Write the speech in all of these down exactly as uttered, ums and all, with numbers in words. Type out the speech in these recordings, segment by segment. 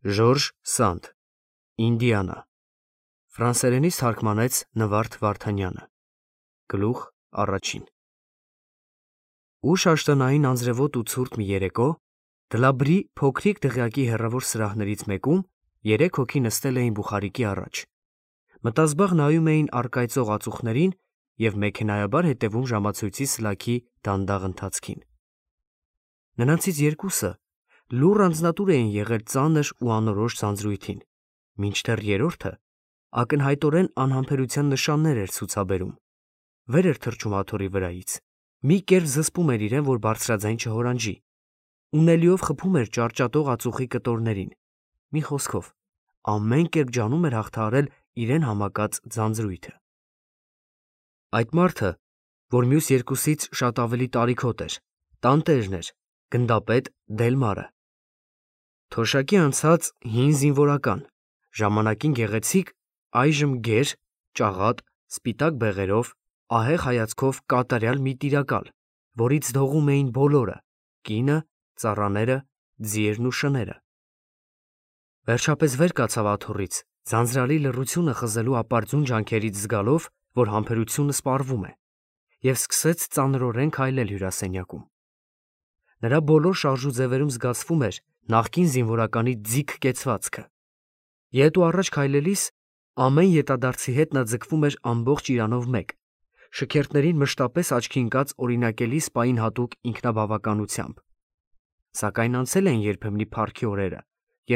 Ժորժ Սանդ, Ինդիանա, ֆրանսերենից թարգմանեց Նվարդ Վարդանյանը, գլուխ առաջին։ Ուշ աշտանային անձրևոտ ու ցուրտ մի երեկո, Դլաբրի փոքրիկ դղյակի հեռավոր սրահներից մեկում երեք հոգի նստել էին բուխարիկի առաջ, մտազբաղ նայում էին առկայծող ածուխներին և մեքենայաբար հետևում ժամացույցի սլաքի դանդաղ ընթացքին։ Նրանցից երկուսը լուռ անձնատուր էին եղել ծանր ու անորոշ ձանձրույթին, մինչդեռ երրորդը ակնհայտորեն անհամբերության նշաններ էր ցուցաբերում, վեր էր թռչում աթոռի վրայից, մի կերպ զսպում էր իրեն, որ բարձրաձայն չհորանջի, ունելիով խփում էր ճարճատող ածուխի կտորներին, մի խոսքով, ամեն կերպ ջանում էր հաղթահարել իրեն համակած ձանձրույթը։ Այդ մարդը, որ մյուս երկուսից շատ ավելի տարիքոտ էր, տանտերն էր, գնդապետ Դելմարը։ Թոշակի անցած հին զինվորական, ժամանակին գեղեցիկ, այժմ գեր, ճաղատ, սպիտակ բեղերով, ահեղ հայացքով կատարյալ մի տիրակալ, որից դողում էին բոլորը՝ կինը, ծառաները, ձիերն ու շները։ Վերջապես վեր կացավ աթոռից, ձանձրալի լռությունը խզելու ապարդյուն ջանքերից զգալով, որ համբերությունը սպառվում է, և սկսեց ծանրորեն քայլել հյուրասենյակում։ Նրա բոլոր շարժուձևերում զգացվում էր նախկին զինվորականի ձիգ կեցվածքը։ Ետ ու առաջ քայլելիս ամեն ետադարձի հետ նա ձգվում էր ամբողջ իրանով մեկ, շքերթներին մշտապես աչքի ընկած օրինակելի սպային հատուկ ինքնաբավականությամբ։ Սակայն անցել էին երբեմնի փառքի օրերը,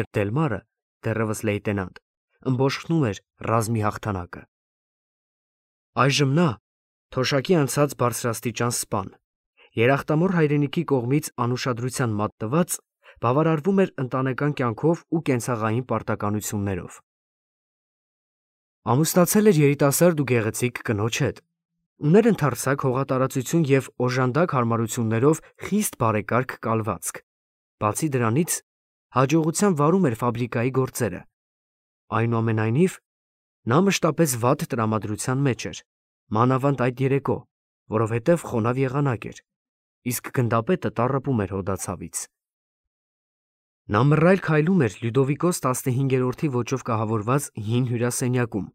երբ Դելմարը, դեռևս լեյտենանտ, ըմբոշխնում էր ռազմի հաղթանակը։ Այժմ նա, թոշակի անցած բարձրաստիճան սպան, երախտամոռ հայրենիքի կողմից անուշադրության մատնված, բավարարվում էր ընտանեկան կյանքով ու կենցաղային պարտականություններով։ Ամուսնացել էր երիտասարդ ու գեղեցիկ կնոջ հետ, ուներ ընդարձակ հողատարածություն և օժանդակ հարմարություններով խիստ բարեկարգ կալվածք, բացի դրանից հաջողությամբ վարում էր ֆաբրիկայի գործերը։ Այնուամենայնիվ, նա մշտապես վատ տրամադրության մեջ էր, մանավանդ այդ երեկո, որովհետև խոնավ եղանակ էր, իսկ գնդապետը տառապում էր հոդացավից։ Նա մռայլ քայլում էր Լյուդովիկոս տասնհինգերորդի ոճով կահավորված հին հյուրասենյակում,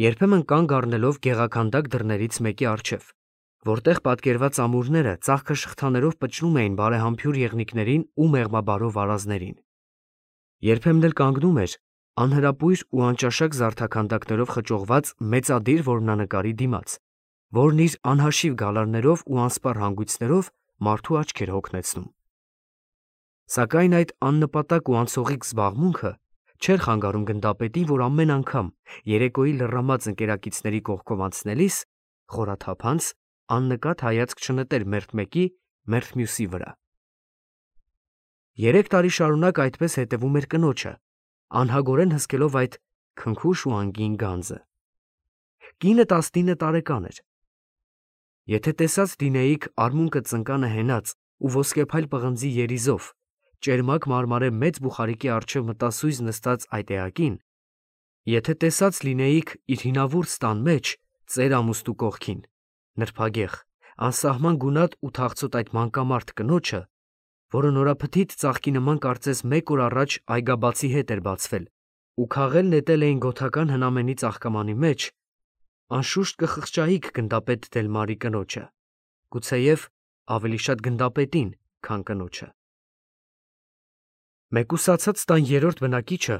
երբեմն կանգ առնելով գեղաքանդակ դռներից մեկի առջև, որտեղ պատկերված ամուրները ծաղկը շղթաներով պճնում էին բարեհամբույր եղնիկներին ու մեղմաբարո վարազներին։ Երբեմն էլ կանգնում էր անհրապույր ու անճաշակ զարդաքանդակներով խճողված մեծադիր որմնանկարի դիմաց, որն իր անհաշիվ գալարներով ու անսպառ հանգույցներով մարդու աչք էր հոգնեցնում։ Սակայն այդ աննպատակ ու անցողիկ զբաղմունքը չէր խանգարում գնդապետին, որ ամեն անգամ երեկոյի լռամած ընկերակիցների կողքով անցնելիս խորաթափանց աննկատ հայացք չնետեր մերթ մեկի, մերթ մյուսի վրա։ Երեք տարի շարունակ այդպես հետևում էր կնոջը, անհագորեն հսկելով այդ քնքուշ ու անգին գանձը։ Կինը տասնինը տարեկան էր։ Եթե տեսած լինեիք արմունկը ծնկանը հենած ու ոսկեփայլ պղնձի երիզով, ճերմակ մարմարե մեծ բուխարիկի առջև մտասույզ նստած այդ էակին, եթե տեսած լինեիք իր հինավուրց տան մեջ, ծեր ամուստու կողքին, նրբագեղ, անսահման գունատ ու թախծոտ այդ մանկամարդ կնոջը, որը նորափթիթ ծաղկի նման կարծես մեկ օր առաջ այգաբացի հետ էր բացվել ու քաղել նետել էին գոթական հնամենի ծաղկամանի մեջ, անշուշտ կխղճայիք գնդապետ Դելմարի կնոջը, գուցեև ավելի շատ գնդապետին, քան կնոջը։ Մեկուսացած տան երրորդ բնակիչը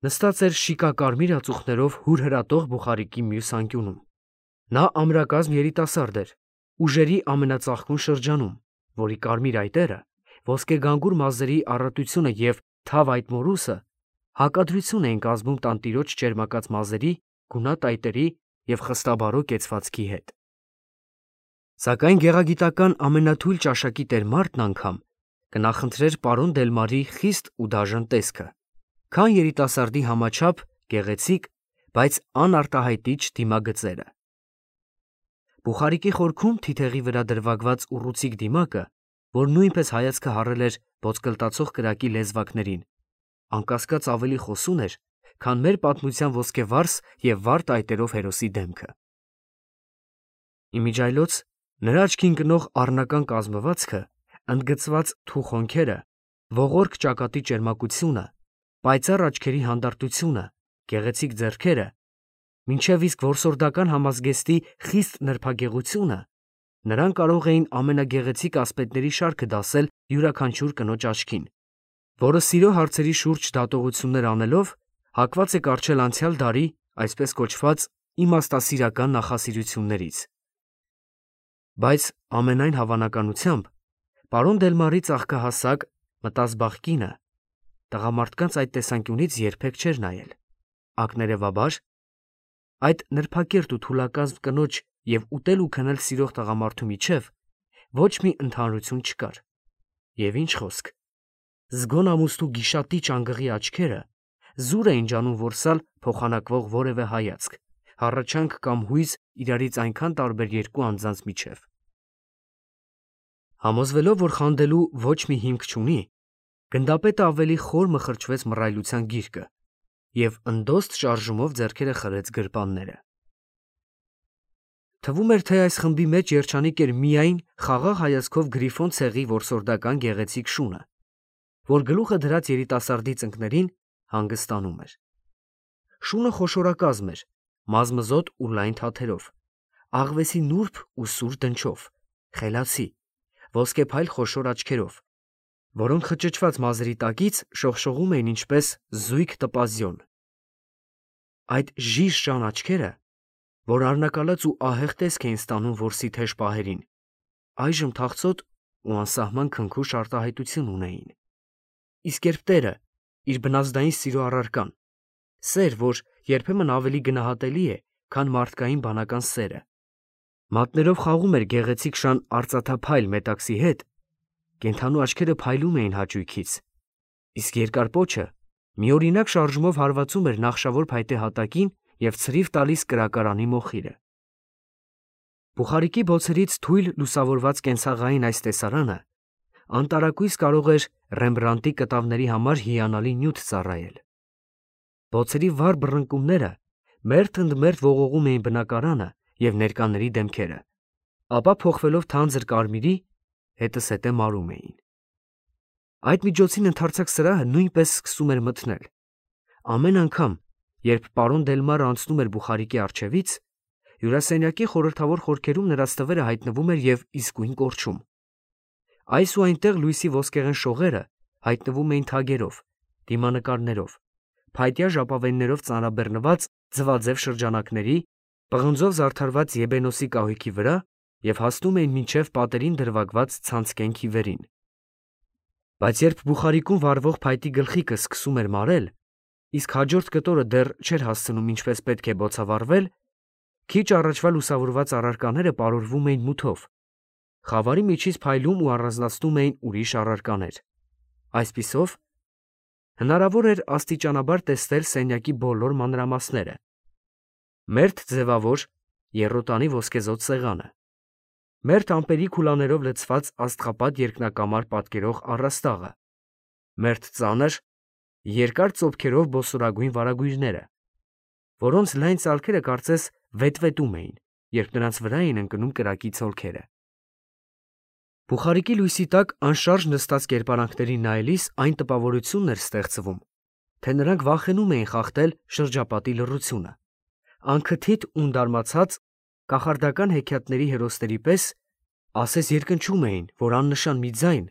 նստած էր շիկակարմիր ածուխներով հուրհրատող բուխարիկի մյուս անկյունում։ Նա ամրակազմ երիտասարդ էր, ուժերի ամենածաղկուն շրջանում, որի կարմիր այտերը, ոսկեգանգուր մազերի առատությունը և թավ այդ մորուսը հակադրություն էին կազմում տանտիրոջ ճերմակած մազերի, գունատ այտերի և խստաբարո կեցվածքի հետ։ Սակայն գեղագիտական ամենաթույլ ճաշակի տեր մարդն անգամ կնախընտրեր պարոն Դելմարի խիստ ու դաժան տեսքը, քան երիտասարդի համաչափ, գեղեցիկ, բայց անարտահայտիչ դիմագծերը։ Բուխարիկի խորքում թիթեղի վրա դրվագված ուռուցիկ դիմակը, որ նույնպես հայացքը հառել էր ոսկլտացող կրակի լեզվակներին, անկասկած ավելի խոսուն էր, քան մեր պատմության ոսկեվարս և վարդ այտերով հերոսի դեմքը։ Իմիջիայլոց նրա աչքին ընկնող առնական կազմվածքը, ընդգծված թուխ հոնքերը, ողորկ ճակատի ճերմակությունը, պայծառ աչքերի հանդարտությունը, գեղեցիկ ձեռքերը, մինչև իսկ որսորդական համազգեստի խիստ նրբագեղությունը, նրան կարող էին ամենագեղեցիկ ասպետների շարքը դասել յուրաքանչյուր կնոջ աչքին, որը սիրո հարցերի շուրջ դատողություններ անելով հակված է կառչել անցյալ դարի, այսպես կոչված, իմաստասիրական նախասիրություններից։ Բայց ամենայն հավանականությամբ պարոն Դելմարի ծաղկահասակ մտազբաղ կինը տղամարդկանց այդ տեսանկյունից երբեք չէր նայել։ Ակներևաբար, այդ նրբակերտ ու թուլակազմ կնոջ և ուտել ու քնել սիրող տղամարդու միջև ոչ մի ընդհանրություն չկար։ Եվ ինչ խոսք, զգոն ամուսնու գիշատիչ անգղի աչքերը զուր էին ջանում որսալ փոխանակվող որևէ հայացք, հառաչանք կամ հույզ իրարից այնքան տարբեր երկու անձանց միջև։ Համոզվելով, որ խանդելու ոչ մի հիմք չունի, գնդապետը ավելի խոր մխրճվեց մռայլության գիրկը և ընդոստ շարժումով ձեռքերը խրեց գրպանները։ Թվում էր, թե այս խմբի մեջ երջանիկ էր միայն խաղաղ հայացքով գրիֆոն ցեղի որսորդական գեղեցիկ շունը, որ գլուխը դրած երիտասարդի ծնկներին հանգստանում էր։ Շունը խոշորակազմ էր, մազմզոտ ու լայն թաթերով, աղվեսի նուրբ ու սուր դնչով, խելացի, ոսկեփայլ խոշոր աչքերով, որոնք խճճված մազերի տակից շողշողում էին ինչպես զույգ տպազյոն։ Այդ ժիժ-ժան աչքերը, որ առնակալած ու ահեղ տեսք էին ստանում որսի թեժ պահերին, այժմ թախծոտ ու անսահման քնքուշ արտահայտություն ունեին։ Իսկ երբ տերը, իր բնազդային սիրո առարկան, սեր, որ երբեմն ավելի գնահատելի է, քան մարդկային բանական սերը, մատներով խաղում էր գեղեցիկ շան արծաթափայլ մետաքսի հետ, կենդանու աչքերը փայլում էին հաճույքից, իսկ երկար պոչը միօրինակ շարժումով հարվածում էր նախշավոր փայտե հատակին և ցրիվ տալիս կրակարանի մոխիրը։ Բուխարիկի բոցերից թույլ լուսավորված կենցաղային այս տեսարանը անտարակույս կարող էր Ռեմբրանդտի կտավների համար հիանալի նյութ ծառայել։ Բոցերի վառ բռնկումները մերթ ընդ մերթ ողողում էին բնակարանը և ներկաների դեմքերը, ապա փոխվելով թանձր կարմիրի, հետզհետե մարում էին։ Այդ միջոցին ընդարձակ սրահը նույնպես սկսում էր մթնել։ Ամեն անգամ, երբ պարոն Դելմարը անցնում էր Բուխարիկի առջևից, հյուրասենյակի խորհրդավոր խորքերում նրա ստվերը հայտնվում էր և իսկույն կորչում։ Այս ու այնտեղ լույսի ոսկեղեն շողերը հայտնվում էին թագերով, դիմանկարներով, փայտյա ժապավեններով ծանրաբեռնված ձվաձև շրջանակների, պղնձով զարդարված եբենոսի կահույքի վրա և հասնում էին մինչև պատերին դրվագված ցանցկեն քիվերին։ Բայց երբ Բուխարիկում վառվող փայտի գլխիկը սկսում էր մարել, իսկ հաջորդ կտորը դեռ չէր հասցնում ինչպես պետք է բոցավառվել, քիչ առաջվա լուսավորված առարկաները պարուրվում էին մութով, խավարի միջից փայլում ու առանձնացնում էին ուրիշ առարկաներ։ Այսպիսով, հնարավոր էր աստիճանաբար տեսնել սենյակի բոլոր մանրամասները. մերթ ձևավոր եռոտանի ոսկեզօծ սեղանը, մերթ ամպերի քուլաներով լցված աստղապատ երկնակամար պատկերող առաստաղը, մերթ ծանր, երկար ծոփքերով բոսորագույն վարագույրները, որոնց լայն ծալքերը կարծես վետվետում էին, երբ նրանց վրա էին ընկնում կրակի ցոլքերը։ Բուխարիկի լույսի տակ անշարժ նստած կերպարանքներին նայելիս այն տպավորությունն էր ստեղծվում, թե նրանք վախենում էին խախտել շրջապատի լռությունը, անքթիթ ունդարմացած կախարդական հեքիաթների հերոսների պես ասես երկնչում էին, որ աննշան մի ձայն,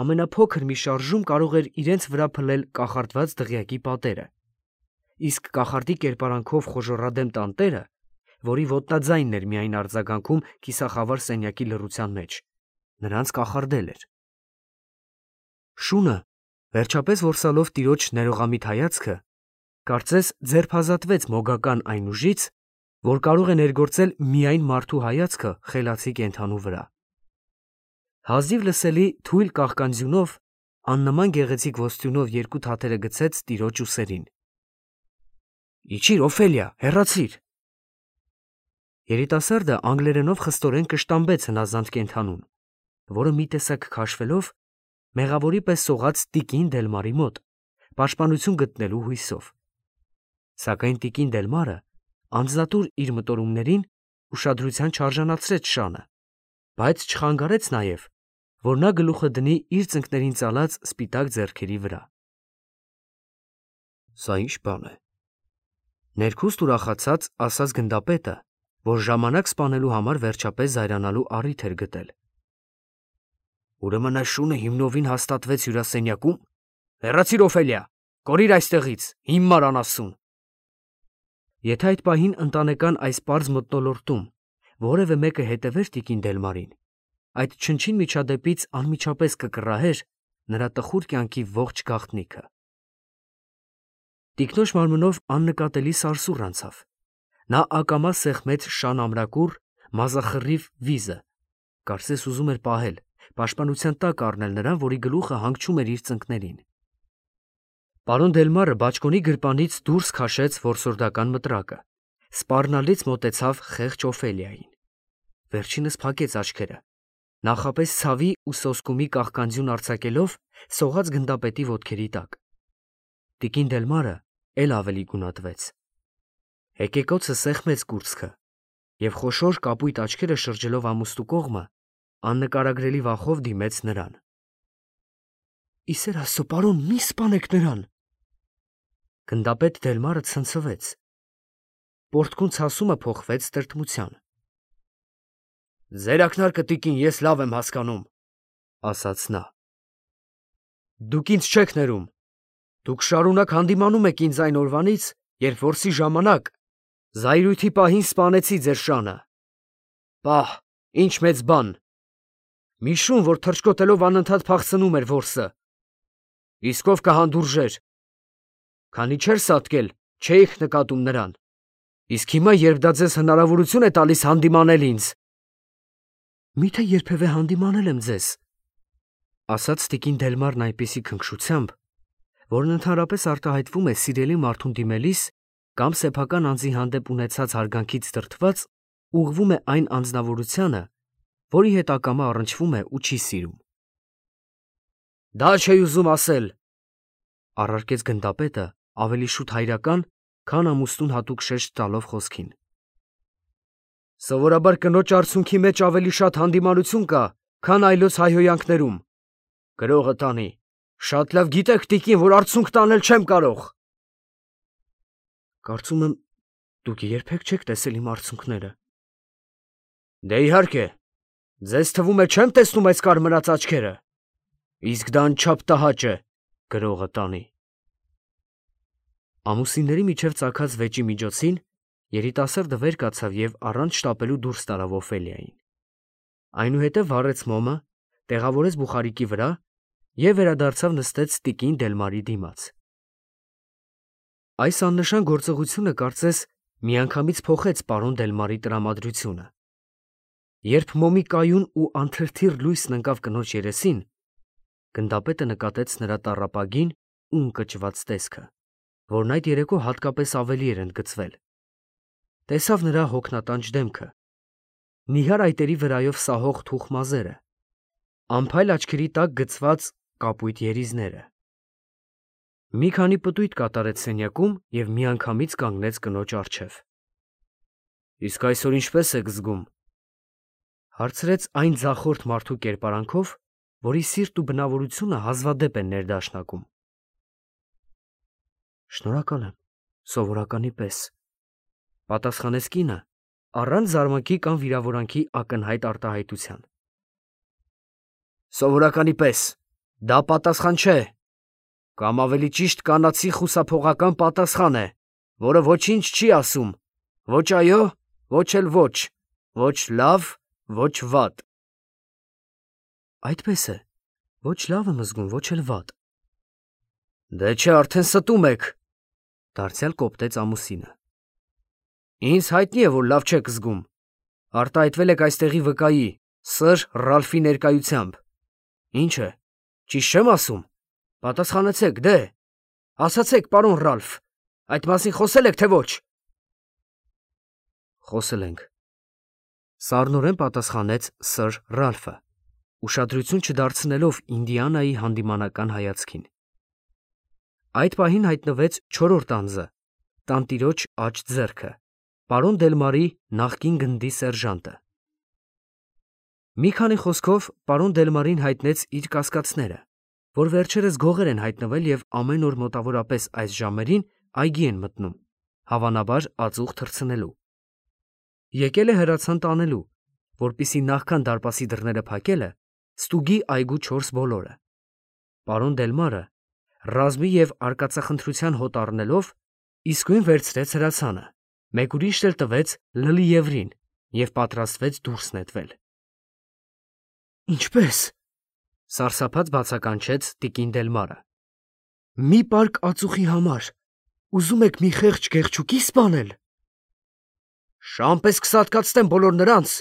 ամենափոքր մի շարժում կարող էր իրենց վրա փլել կախարդված դղյակի պատերը, իսկ կախարդի կերպարանքով խոժոռադեմ տանտերը, որի ոտնաձայնն էր միայն արձագանքում կիսախավար սենյակի լռության մեջ, նրանց կախարդել էր։ Շունը, վերջապես որսալով տիրոջ ներողամիտ հայացքը, կարծես ձերբազատվեց մոգական այն ուժից, որ կարող է ներգործել միայն մարդու հայացքը խելացի կենդանու վրա։ Հազիվ լսելի թույլ կաղկանձյունով աննման գեղեցիկ ոսტյունով երկու թաթերը գցեց տիրոջ ուսերին։ Իջիր, Օֆելիա, հեռացիր։ Երիտասարդը անգլերենով խստորեն կշտամբեց հնազանդ կենդանուն, որը մի տեսակ քաշվելով մեղավորի պես սողաց տիկին Դելմարի մոտ, պաշտպանություն գտնելու հույսով։ Սակայն տիկին Դելմարը անձնատուր իր մտորումներին ուշադրության չարժանացրեց շանը, բայց չխանգարեց նաև, որ նա գլուխը դնի իր ծնկներին ծալած սպիտակ ձեռքերի վրա։ Սա ինչ բան է։ Ներքուստ ուրախացած ասաց գնդապետը, որ ժամանակ սպանելու համար վերջապես զայրանալու առիթ էր գտել։ Ուրեմն այս շունը հիմնովին հաստատվեց հյուրասենյակում։ Հեռացիր Օֆելիա, կորիր այստեղից, հիմար անասուն։ Եթե այդ պահին ընտանեկան այս պարզ մթնոլորտում որևէ մեկը հետևեր տիկին Դելմարին, այդ չնչին միջադեպից անմիջապես կկռահեր նրա տխուր կյանքի ողջ գաղտնիքը։ Տիկնոջ մարմնով աննկատելի սարսուռ անցավ։ Նա ակամա սեղմեց շան ամրակուռ, մազախռիվ վիզը, կարծես ուզում էր պահել, պաշտպանության տակ առնել նրան, որի գլուխը հանգչում էր իր ծնկներին։ Պարոն Դելմարը բաճկոնի գրպանից դուրս քաշեց որսորդական մտրակը, սպառնալից մոտեցավ խեղճ Օֆելիային։ Վերջինս փակեց աչքերը, նախապես ցավի ու սոսկումի կաղկանձյուն արձակելով սողաց գնդապետի ոտքերի տակ։ Տիկին Դելմարը էլ ավելի գունատվեց։ Հեկեկոցը սեղմեց կուրծքը և խոշոր կապույտ աչքերը շրջելով ամուստու կողմը աննկարագրելի վախով դիմեց նրան։ Իսեր Աստծո, պարոն, մի սպանեք նրան։ Գնդապետ Դելմարը ցնցվեց։ Պորտկուն ցասումը փոխվեց տրտմության։ Ձեր ակնարկը, տիկին, ես լավ եմ հասկանում, ասաց նա։ Դուք ինձ չեք ներում։ Դուք շարունակ հանդիմանում եք ինձ այն օրվանից, երբ որսի ժամանակ զայրույթի պահին սպանեցի ձեր շանը։ Պահ, ինչ մեծ բան։ Մի շուն, որ թռչկոտելով անընդհատ փախցնում էր որսը։ Իսկ ով կհանդուրժեր։ Քանի չէր սատկել, չէիք նկատում նրան։ Իսկ հիմա, երբ դա ձեզ հնարավորություն է տալիս հանդիմանել ինձ։ Միթե երբևէ հանդիմանել եմ ձեզ, ասաց տիկին Դելմարն այնպիսի քնքշությամբ, որն ընդհանրապես արտահայտվում է սիրելի մարդուն դիմելիս կամ սեփական անձի հանդեպ ունեցած հարգանքից դրդված ուղղվում է այն անձնավորությանը, որի հետ ակամա առնչվում է ու չի սիրում։ Դա չէի ուզում ասել, առարկեց գնդապետը ավելի շուտ հայրական, քան ամուսնուն հատուկ շեշտ տալով խոսքին։ Սովորաբար կնոջ արցունքի մեջ ավելի շատ հանդիմանություն կա, քան այլոց հայհոյանքներում։ Գրողը տանի, շատ լավ գիտեք, տիկին, որ արցունք տանել չեմ կարող։ Կարծում եմ, դուք երբեք չեք տեսել իմ արցունքները։ Դե իհարկե, ձեզ թվում է չեմ տեսնում այս կարմրած աչքերը։ Իսկ դա անչափ տհաճ է, գրողը տանի։ Ամուսինների միջև ծագած վեճի միջոցին երիտասարդը վեր կացավ և առանց շտապելու դուրս տարավ Օֆելիային։ Այնուհետև վառեց մոմը, տեղավորեց բուխարիկի վրա և վերադարձավ նստեց տիկին Դելմարի դիմաց։ Այս աննշան գործողությունը կարծես միանգամից փոխեց պարոն Դելմարի տրամադրությունը։ Երբ մոմի կայուն ու անթրթիռ լույսն ընկավ կնոջ երեսին, գնդապետը նկատեց նրա տառապագին ու ընկճված տեսքը, որն այդ երեկո հատկապես ավելի էր ընդգծվել։ Տեսավ նրա հոգնատանջ դեմքը, նիհար այտերի վրայով սահող թուխ մազերը, անփայլ աչքերի տակ գծված կապույտ երիզները։ Մի քանի պտույտ կատարեց սենյակում և միանգամից կանգնեց կնոջ առջև։ Իսկ այսօր ինչպե՞ս եք զգում, հարցրեց այն ձախորդ մարդու կերպարանքով, որի սիրտ ու բնավորությունը հազվադեպ են ներդաշնակում։ Շնորհակալ եմ, սովորականի պես, պատասխանեց կինը, առանց զարմանքի կամ վիրավորանքի ակնհայտ արտահայտության։ Սովորականի պես, դա պատասխան չէ, կամ ավելի ճիշտ կանացի խուսափողական պատասխան է, որը ոչինչ չի ասում, ոչ այո, ոչ էլ ոչ, ոչ լավ, ոչ վատ։ Այդպես է, ոչ լավ եմ զգում, ոչ էլ վատ։ Դե չէ, արդեն ստում եք, դարձյալ կոպտեց ամուսինը։ Ինձ հայտնի է, որ լավ չեք զգում, արտահայտվել եք այստեղի վկայի, սըր Ռալֆի ներկայությամբ։ Ինչ է, ճիշտ չեմ ասում, պատասխանեցեք, դե, ասացեք, պարոն Ռալֆ, այդ մասին խոսել եք, թե ոչ։ Խոսել ենք, սառնորեն պատասխանեց սըր Ռալֆը, ուշադրություն չդարձնելով Ինդիանայի հանդիմանական հայացքին։ Այդ պահին հայտնվեց չորրորդ անձը, տանտիրոջ աջ ձեռքը, պարոն Դելմարի նախկին գնդի սերժանտը։ Մի քանի խոսքով պարոն Դելմարին հայտնեց իր կասկածները, որ վերջերս գողեր են հայտնվել և ամեն օր մոտավորապես այս ժամերին այգի են մտնում, հավանաբար ածուխ թռցնելու։ Եկել է հրացան տանելու, որպեսզի նախքան դարպասի դռները փակելը ստուգի այգու չորս բոլորը։ Պարոն Դելմարը, ռազմի և արկածախնդրության հոտ առնելով, իսկույն վերցրեց հրացանը, մեկ ուրիշ էլ տվեց Լլիևրին և պատրաստվեց դուրս նետվել։ Ինչպե՞ս, սարսափած բացականչեց տիկին Դելմարը։ Մի պարկ ածուխի համար ուզում եք մի խեղճ գեղչուկի սպանել։ Շան պես կսատկացնեմ բոլոր նրանց,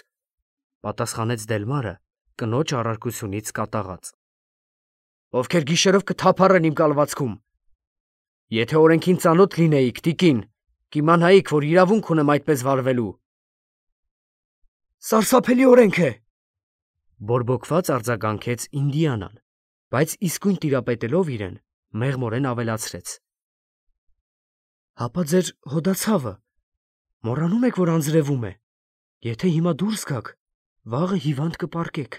պատասխանեց Դելմարը կնոջ առարկությունից կատաղած, ովքեր գիշերով կթափառեն իմ կալվածքում։ Եթե օրենքին ծանոթ լինեիք, տիկին, կիմանայիք, որ իրավունք ունեմ այդպես վարվելու։ Սարսափելի օրենք է, բորբոքված արձագանքեց Ինդիանան, բայց իսկույն տիրապետելով իրեն, մեղմորեն ավելացրեց. Հապա ձեր հոդացավը, մոռանում եք, որ անձրևում է, եթե հիմա դուրս գաք, վաղը հիվանդ կպառկեք։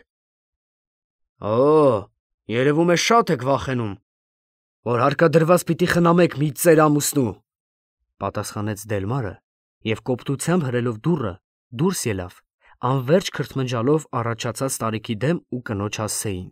Օ, երևում է շատ եք վախենում, որ հարկադրված պիտի խնամեք մի ծեր ամուսնու, պատասխանեց Դելմարը և կոպտությամբ հրելով դուռը դուրս ելավ, անվերջ քրթմնջալով առաջացած տարիքի դեմ ու կնոջ հասցեին։